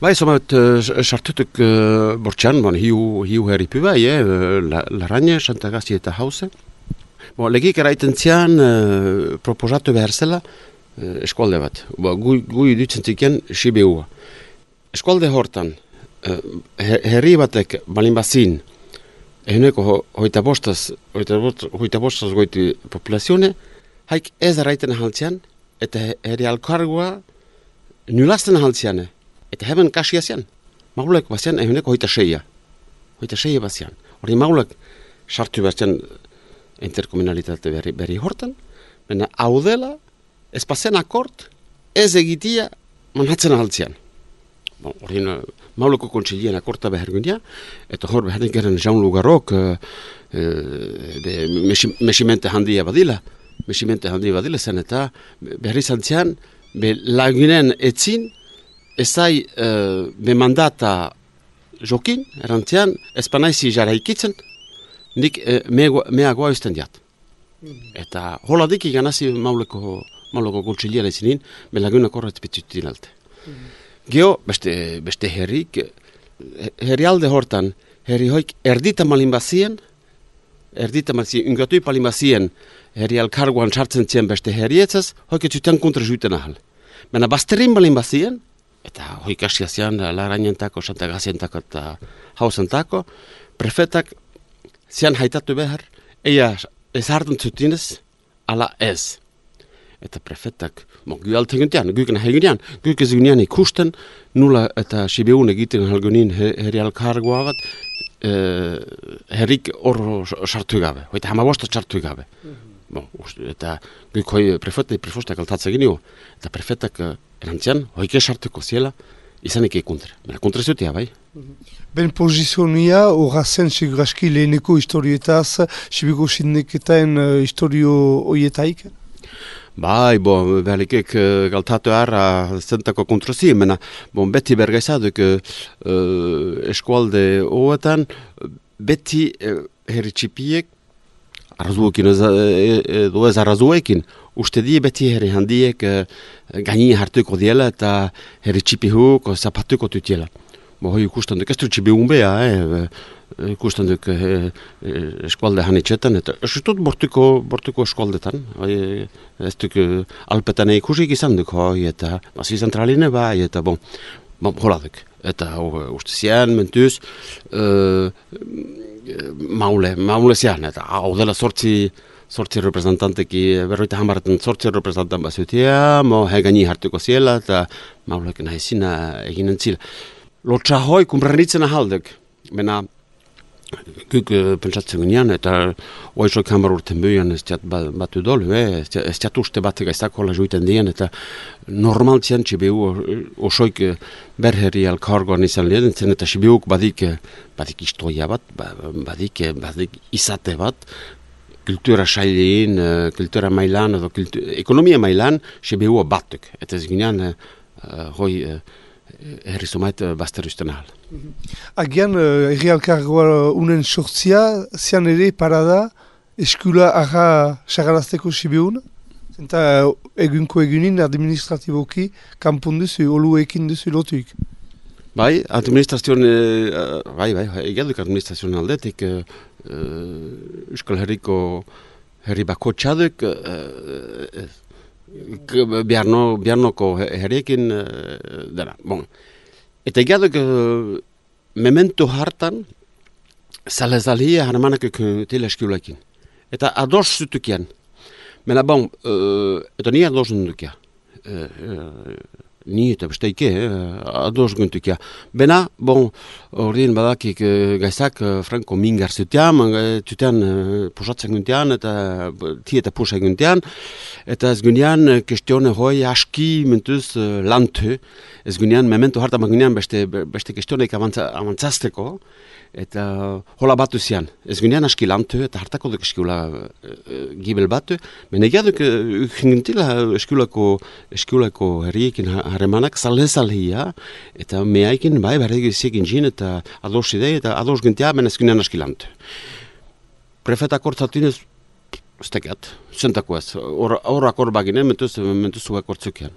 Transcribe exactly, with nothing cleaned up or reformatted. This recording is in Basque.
Bai, zomat, sartutuk uh, bortxan, bon, hiu, hiu herripu bai, eh, la, Larrañe, Santagazi eta Hauze. Bon, legik eraiten zian, uh, proposatu behar zela, uh, eskualde bat. Bo, gu, gu idutzen ziken, Sibiua. Eskualde hortan, uh, herri batek balin bazin, eguneko ho, hoita bostaz, hoita, hoita bostaz goiti populazione, haik ez eraiten ahaltzian, eta herri alkargoa nulazten ahaltziane. Eta heben kasia zian. Maulek bazian eguneko hoita seia. Hoita seia bazian. Hori maulek sartu bazian interkomunalitate berri, berri hortan, baina hau dela, ez pasen akort, ez egitia manhatzen ahaltzian. Bon, hori mauleko kontsilien akorta behar gundia, eta hor behar geren Jean Lugarok uh, uh, mesimente handia badila, mesimente handia badila zen, eta behar izan zian, be lagunen etzin, ezai uh, be mandata jokin, erantzian, espanaizi jara ikitzen, nik uh, meagoa usten diat. Mm-hmm. Eta hola dik ikanazi mauleko, mauleko kontsilien etzinin, be lagunak horret betzutin alte. Mm-hmm. Geo, beste, beste herrik, herrialde hortan, herri hoik erdita malin bazien, erdita malin bazien, ungatui palin bazien, herri alkarguan sartzen zien beste herrietzaz, hoik etzutean kontra juiten ahal. Baina bazterin balin bazien, eta hoik asia zian, Larrañentako, Santagazientako eta Hauzentako, prefetak zian haitatu behar, eia ez hartan zutinez, ala ez. Eta prefetak, mo, gu alte guntian, guken hegunean, guk ez gunean ikusten, nula eta Sibiun egiten halgunin herri alkargoa bat, eh, herrik horro sartu gabe, hoita hamabosta sartu gabe. Mm-hmm. Bon, eta guk hoi prefetak, prefostak altatza ginio, eta prefetak uh, erantzian, hoike sartuko ziela, izanik ekuntre. Baina kontre zutia, bai? Mm-hmm. Ben pozizionia, horra zen seguraski leheneko historietaz, Sibiko sindiketaen uh, historio hoietaik? Bai, bon, behalikek uh, galtatu harra zentako kontrozi, mena, bon, beti bergaizaduk uh, eskualde hoetan, beti uh, herri txipiek, arrazuekin edo ez arrazuekin, uste die beti herri handiek uh, gaini hartuko diela eta herri txipihuk zapatuko tutiela. Bo, hoi ikusten duk, ez du txipi unbea, eh, ikusten duk eh, eskualde hanitxetan, eta ez dut bortuko, bortuko eskualdetan, hoi, ez duk alpetan ikusik izan duk, hoi, eta basi zentraline bai, eta bon, bon hola duk. Eta oh, uste zian, mentuz, uh, maule, maule zian, eta hau dela sortzi, sortzi representanteki, berroita hamarretan sortzi representant bazutia, mo hegani hartuko ziela, eta maulek nahi zina eginen zila. Lotsa hoi, kumbranitzen ahaldek, mena guk uh, pentsatzen gunean, eta oizok hamar urten buian ez tiat batu dolu, eh? ez tiat uste bat gaizako la juiten dien, eta normal zian Sibiu osoik berherri alkargoan izan lehen, zen eta Sibiuk badik, badik istoia bat, badik, badik izate bat, kultura sailein, kultura mailan, edo kultu, ekonomia mailan, Sibiua batuk, eta ez gunean uh, hoi uh, herri zomait bazter usten ahal. Agian, herri uh, alkargoa unen sortzia, zian ere parada eskula arra sagarazteko Sibiun? Zenta egunko egunin administratiboki kanpon duzu, oluekin duzu lotuik? Bai, administrazioan, uh, bai, bai, egaduk administrazioan aldetik, uh, uh, Euskal Herriko herri bako txaduk, uh, uh, Biarno, biarnoko herriekin uh, dara. Bon. Eta egaduk uh, memento hartan zalezalhia harmanak tila eskulekin. Eta ados zutukian. Mena bon, uh, eta ni ados zutukia. Uh, uh, ni eta besteike, eh, ados guntukia. Bena, bon, ordin badakik uh, gaizak uh, franko mingar zutean, zutean uh, pusatzen guntean, eta ti eta pusa guntean, eta ez gunean kestione hoi aski mentuz uh, lantu, ez gunean memento harta magunean beste, beste kestioneik avantzazteko, eta hola batu zian. Ez gunean aski lantu, eta hartako duk eskula uh, gibel batu, mena egaduk uh, gintila eskulako, eskulako herriekin harremanak zalezalhia, eta meaikin bai berregi ziekin jin, eta ados idei, eta ados gintia, mena ez gunean aski lantu. Prefetak hortzatinez, ez tekat, zentako ez, horrak hor baginen, mentuz, mentuz zuak hortzukean.